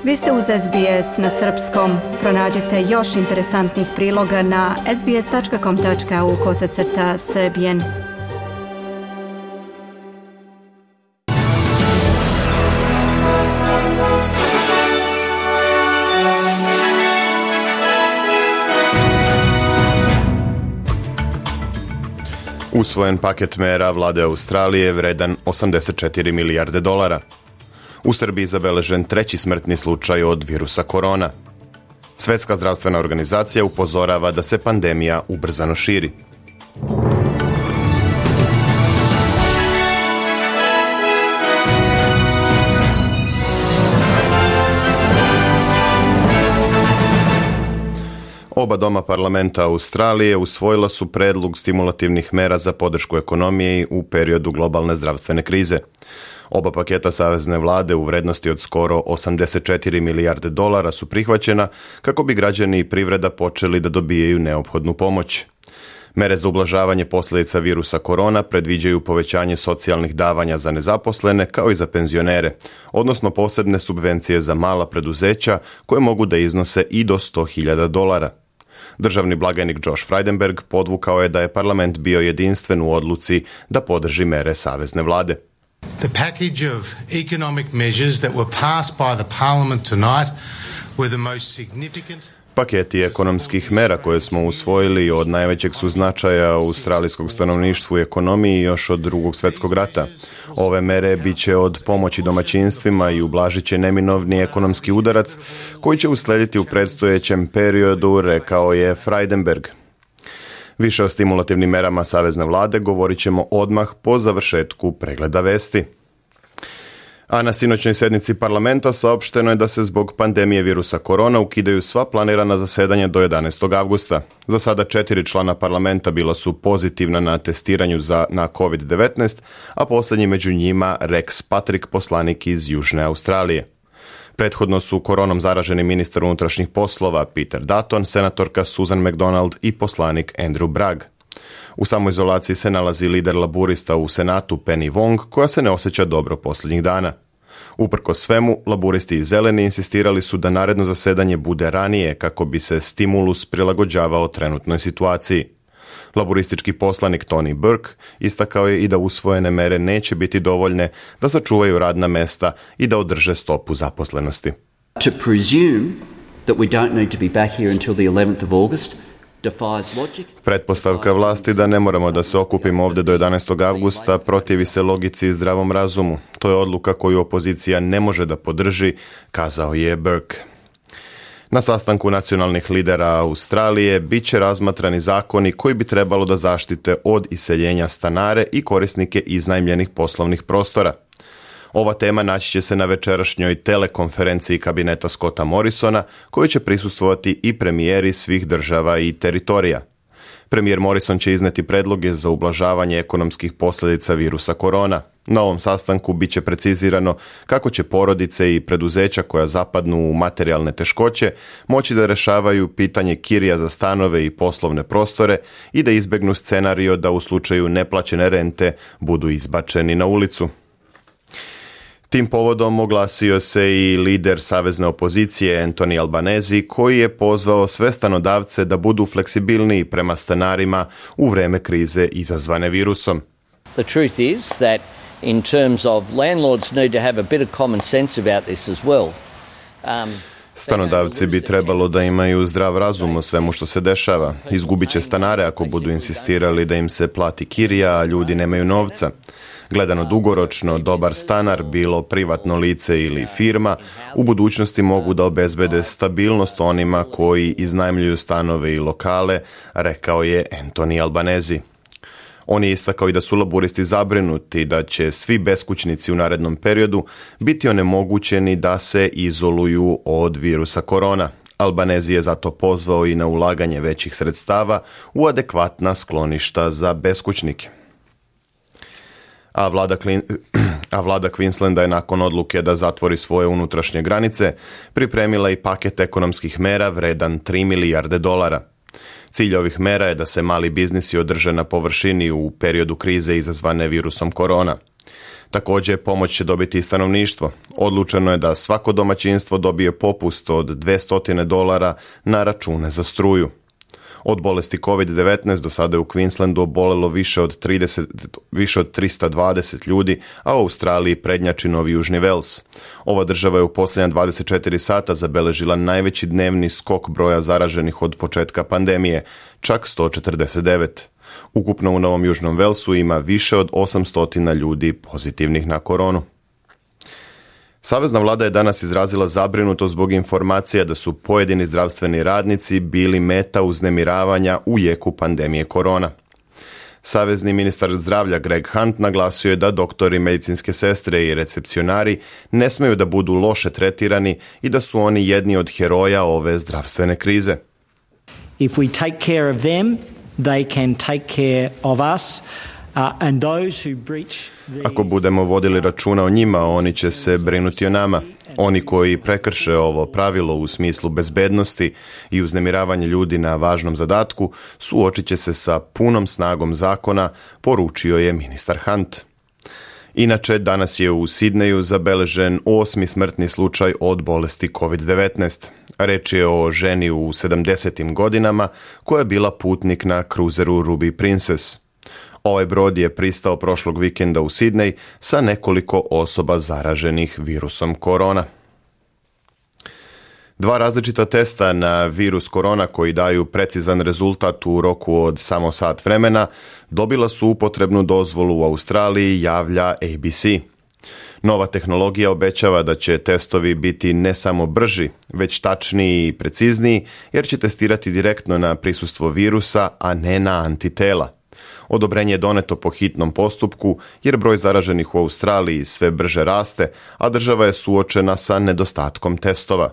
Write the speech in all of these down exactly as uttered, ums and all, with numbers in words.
Vi ste uz S B S na srpskom. Pronađite još interesantnih priloga na sbs.com.au kosacrta srbijen. Usvojen paket mera vlade Australije vredan osamdeset četiri milijarde dolara. U Srbiji zabeležen treći smrtni slučaj od virusa korona. Svetska zdravstvena organizacija upozorava da se pandemija ubrzano širi. Oba doma parlamenta Australije usvojila su predlog stimulativnih mera za podršku ekonomiji u periodu globalne zdravstvene krize. Oba paketa savezne vlade u vrednosti od skoro osamdeset četiri milijarde dolara su prihvaćena kako bi građani i privreda počeli da dobijaju neophodnu pomoć. Mere za ublažavanje posljedica virusa korona predviđaju povećanje socijalnih davanja za nezaposlene kao i za penzionere, odnosno posebne subvencije za mala preduzeća koje mogu da iznose i do sto hiljada dolara. Državni blagajnik Josh Frydenberg podvukao je da je parlament bio jedinstven u odluci da podrži mere savezne vlade. The package of economic measures that were passed by the parliament tonight were the most significant. Paketi ekonomskih mera koje smo usvojili od najvećeg su značaja australijskog stanovništvu i ekonomiji još od drugog svjetskog rata. Ove mere bit će od pomoći domaćinstvima i ublažit će neminovni ekonomski udarac koji će uslediti u predstojećem periodu, rekao je Frydenberg. Više o stimulativnim merama savezne vlade govorit ćemo odmah po završetku pregleda vesti. A na sinoćnoj sjednici parlamenta saopšteno je da se zbog pandemije virusa korona ukidaju sva planirana zasedanja do jedanaestog avgusta. Za sada četiri člana parlamenta bila su pozitivna na testiranju za, na kovid devetnaest, a posljednji među njima Rex Patrick, poslanik iz Južne Australije. Prethodno su koronom zaraženi ministar unutrašnjih poslova Peter Dutton, senatorka Susan McDonald i poslanik Andrew Bragg. U samoizolaciji se nalazi lider laburista u Senatu Penny Wong, koja se ne osjeća dobro posljednjih dana. Uprkos svemu, laburisti i zeleni insistirali su da naredno zasedanje bude ranije kako bi se stimulus prilagođavao trenutnoj situaciji. Laburistički poslanik Tony Burke istakao je i da usvojene mere neće biti dovoljne da sačuvaju radna mesta i da održe stopu zaposlenosti. To presume that we don't need to be back here until the eleventh of August. Pretpostavka vlasti da ne moramo da se okupimo ovdje do jedanaestog avgusta protivi se logici i zdravom razumu. To je odluka koju opozicija ne može da podrži, kazao je Burke. Na sastanku nacionalnih lidera Australije bit će razmatrani zakoni koji bi trebalo da zaštite od iseljenja stanare i korisnike iznajmljenih poslovnih prostora. Ova tema naći će se na večerašnjoj telekonferenciji kabineta Scotta Morrisona, koji će prisustvovati i premijeri svih država i teritorija. Premijer Morrison će izneti predloge za ublažavanje ekonomskih posljedica virusa korona. Na ovom sastanku bit će precizirano kako će porodice i preduzeća koja zapadnu u materijalne teškoće moći da rešavaju pitanje kirija za stanove i poslovne prostore i da izbegnu scenario da u slučaju neplaćene rente budu izbačeni na ulicu. Tim povodom oglasio se i lider savezne opozicije Anthony Albanese, koji je pozvao sve stanodavce da budu fleksibilniji prema stanarima u vreme krize izazvane virusom. The truth is that in terms of landlords need to have a bit of common sense about this as well. Um, Stanodavci bi trebalo da imaju zdrav razum o svemu što se dešava. Izgubit će stanare ako budu insistirali da im se plati kirija, a ljudi nemaju novca. Gledano dugoročno, dobar stanar, bilo privatno lice ili firma, u budućnosti mogu da obezbede stabilnost onima koji iznajmljuju stanove i lokale, rekao je Anthony Albanese. On je istakao i da su laburisti zabrinuti da će svi beskućnici u narednom periodu biti onemogućeni da se izoluju od virusa korona. Albanese je zato pozvao i na ulaganje većih sredstava u adekvatna skloništa za beskućnike. A vlada, Klin... A vlada Queenslanda je nakon odluke da zatvori svoje unutrašnje granice pripremila i paket ekonomskih mera vredan tri milijarde dolara. Cilj ovih mera je da se mali biznisi održe na površini u periodu krize izazvane virusom korona. Također, pomoć će dobiti i stanovništvo. Odlučeno je da svako domaćinstvo dobije popust od dvjesto dolara na račune za struju. Od bolesti kovid devetnaest do sada je u Queenslandu obolelo više od, trideset, više od trista dvadeset ljudi, a u Australiji prednjači Novi Južni Vels. Ova država je u posljednja dvadeset četiri sata zabeležila najveći dnevni skok broja zaraženih od početka pandemije, čak sto četrdeset devet. Ukupno u Novom Južnom Velsu ima više od osamsto ljudi pozitivnih na koronu. Savezna vlada je danas izrazila zabrinutost zbog informacija da su pojedini zdravstveni radnici bili meta uznemiravanja u jeku pandemije korona. Savezni ministar zdravlja Greg Hunt naglasio je da doktori, medicinske sestre i recepcionari ne smeju da budu loše tretirani i da su oni jedni od heroja ove zdravstvene krize. If we take care of them, they can take care of us. Uh, and those who breach these... Ako budemo vodili računa o njima, oni će se brinuti o nama. Oni koji prekrše ovo pravilo u smislu bezbednosti i uznemiravanja ljudi na važnom zadatku, suočit će se sa punom snagom zakona, poručio je ministar Hunt. Inače, danas je u Sidneju zabeležen osmi smrtni slučaj od bolesti kovid devetnaest. Reč je o ženi u sedamdesetim godinama koja je bila putnik na kruzeru Ruby Princess. Ovaj brod je pristao prošlog vikenda u Sidnej sa nekoliko osoba zaraženih virusom korona. Dva različita testa na virus korona koji daju precizan rezultat u roku od samo sat vremena dobila su upotrebnu dozvolu u Australiji, javlja A B C. Nova tehnologija obećava da će testovi biti ne samo brži, već tačniji i precizniji, jer će testirati direktno na prisustvo virusa, a ne na antitela. Odobrenje je doneto po hitnom postupku jer broj zaraženih u Australiji sve brže raste, a država je suočena sa nedostatkom testova.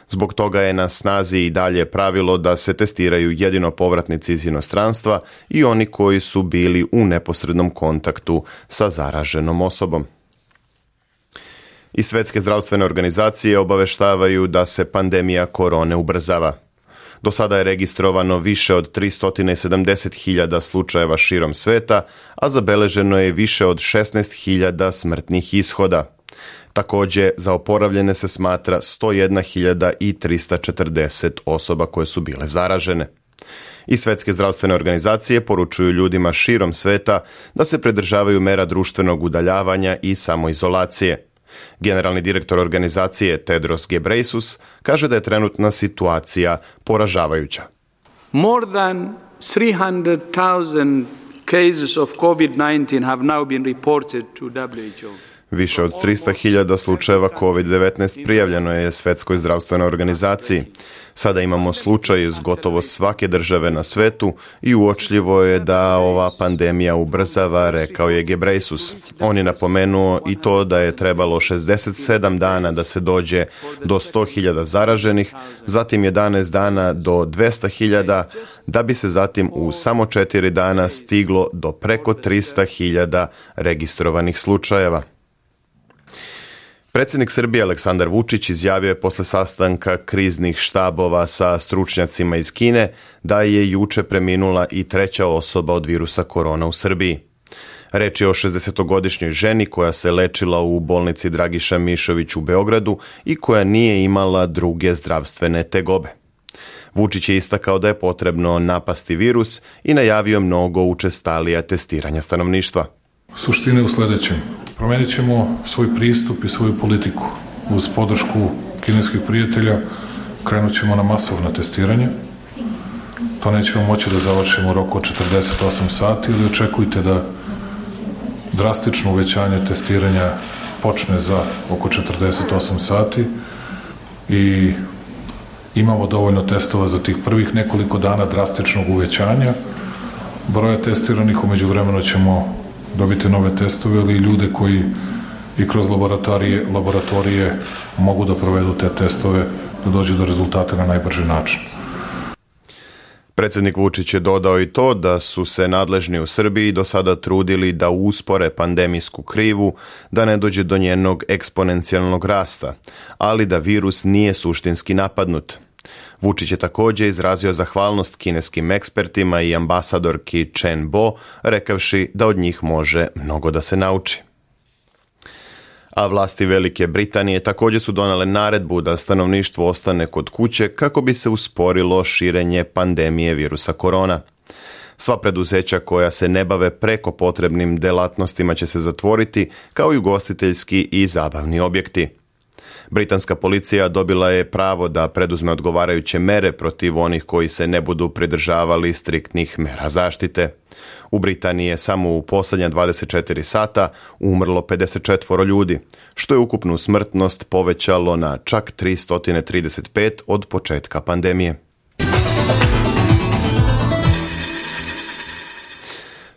Zbog toga je na snazi i dalje pravilo da se testiraju jedino povratnici iz inostranstva i oni koji su bili u neposrednom kontaktu sa zaraženom osobom. I Svjetske zdravstvene organizacije obaveštavaju da se pandemija korone ubrzava. Do sada je registrovano više od tristo sedamdeset hiljada slučajeva širom sveta, a zabeleženo je više od šesnaest hiljada smrtnih ishoda. Također, za oporavljene se smatra sto jedna hiljada tristo četrdeset osoba koje su bile zaražene. I Svjetske zdravstvene organizacije poručuju ljudima širom sveta da se pridržavaju mera društvenog udaljavanja i samoizolacije. Generalni direktor organizacije Tedros Ghebreyesus kaže da je trenutna situacija poražavajuća. More than three hundred thousand cases of COVID nineteen have now been reported to W H O. Više od tristo hiljada slučajeva kovid devetnaest prijavljeno je Svjetskoj zdravstvenoj organizaciji. Sada imamo slučaj iz gotovo svake države na svetu i uočljivo je da ova pandemija ubrzava, rekao je Ghebreyesus. On je napomenuo i to da je trebalo šezdeset sedam dana da se dođe do sto hiljada zaraženih, zatim jedanaest dana do dvjesto hiljada, da bi se zatim u samo četiri dana stiglo do preko tristo hiljada registrovanih slučajeva. Predsjednik Srbije Aleksandar Vučić izjavio je posle sastanka kriznih štabova sa stručnjacima iz Kine da je juče preminula i treća osoba od virusa korona u Srbiji. Reč je o šezdesetogodišnjoj ženi koja se lečila u bolnici Dragiša Mišović u Beogradu i koja nije imala druge zdravstvene tegobe. Vučić je istakao da je potrebno napasti virus i najavio mnogo učestalija testiranja stanovništva. Suština je u sljedećem. Promenit ćemo svoj pristup i svoju politiku. Uz podršku kineskih prijatelja krenut ćemo na masovno testiranje. To nećemo moći da završimo u roku od četrdeset osam sati, ili očekujte da drastično uvećanje testiranja počne za oko četrdeset osam sati i imamo dovoljno testova za tih prvih nekoliko dana drastičnog uvećanja. Broja testiranih, u međuvremenu ćemo dobiti nove testove, ali i ljude koji i kroz laboratorije, laboratorije mogu da provedu te testove, da dođu do rezultata na najbrži način. Predsjednik Vučić je dodao i to da su se nadležni u Srbiji do sada trudili da uspore pandemijsku krivu, da ne dođe do njenog eksponencijalnog rasta, ali da virus nije suštinski napadnut. Vučić je također izrazio zahvalnost kineskim ekspertima i ambasadorki Chen Bo, rekavši da od njih može mnogo da se nauči. A vlasti Velike Britanije također su donale naredbu da stanovništvo ostane kod kuće kako bi se usporilo širenje pandemije virusa korona. Sva preduzeća koja se ne bave preko potrebnim delatnostima će se zatvoriti, kao i ugostiteljski i zabavni objekti. Britanska policija dobila je pravo da preduzme odgovarajuće mere protiv onih koji se ne budu pridržavali striktnih mera zaštite. U Britaniji je samo u posljednja dvadeset četiri sata umrlo pedeset četiri ljudi, što je ukupnu smrtnost povećalo na čak tristo trideset pet od početka pandemije.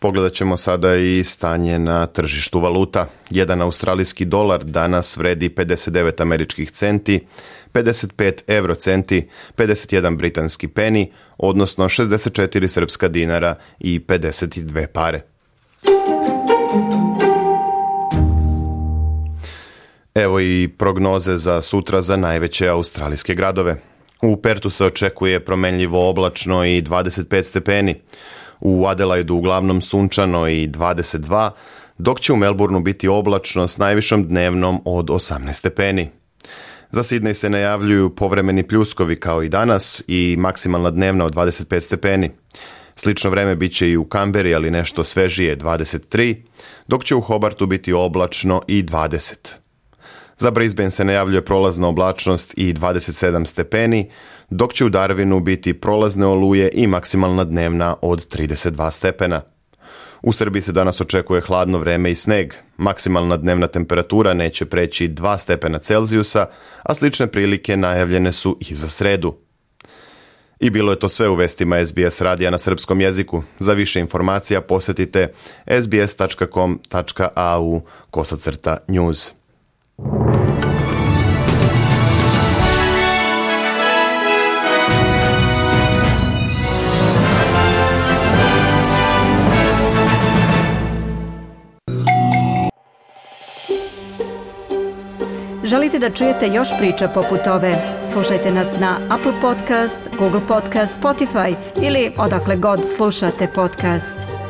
Pogledat ćemo sada i stanje na tržištu valuta. Jedan australijski dolar danas vredi pedeset devet američkih centi, pedeset pet euro centi, pedeset jedan britanski peni, odnosno šezdeset četiri srpska dinara i pedeset dve pare. Evo i prognoze za sutra za najveće australijske gradove. U Pertu se očekuje promenljivo oblačno i dvadeset pet stepeni. U Adelaidu uglavnom sunčano i dvadeset dva, dok će u Melbourneu biti oblačno s najvišom dnevnom od osamnaest stepeni. Za Sidney se najavljuju povremeni pljuskovi kao i danas i maksimalna dnevna od dvadeset pet stepeni. Slično vreme bit će i u Kamberi, ali nešto svežije dvadeset tri, dok će u Hobartu biti oblačno i dvadeset. Za Brisbane se najavljuje prolazna oblačnost i dvadeset sedam stepeni, dok će u Darwinu biti prolazne oluje i maksimalna dnevna od trideset dva stepena. U Srbiji se danas očekuje hladno vreme i sneg. Maksimalna dnevna temperatura neće preći dva stepena Celzijusa, a slične prilike najavljene su i za sredu. I bilo je to sve u vestima S B S radija na srpskom jeziku. Za više informacija posjetite s b s tačka com tačka a u kosacrta news. Želite da čujete još priča poput ove? Slušajte nas na Apple Podcast, Google Podcast, Spotify ili odakle god slušate podcast.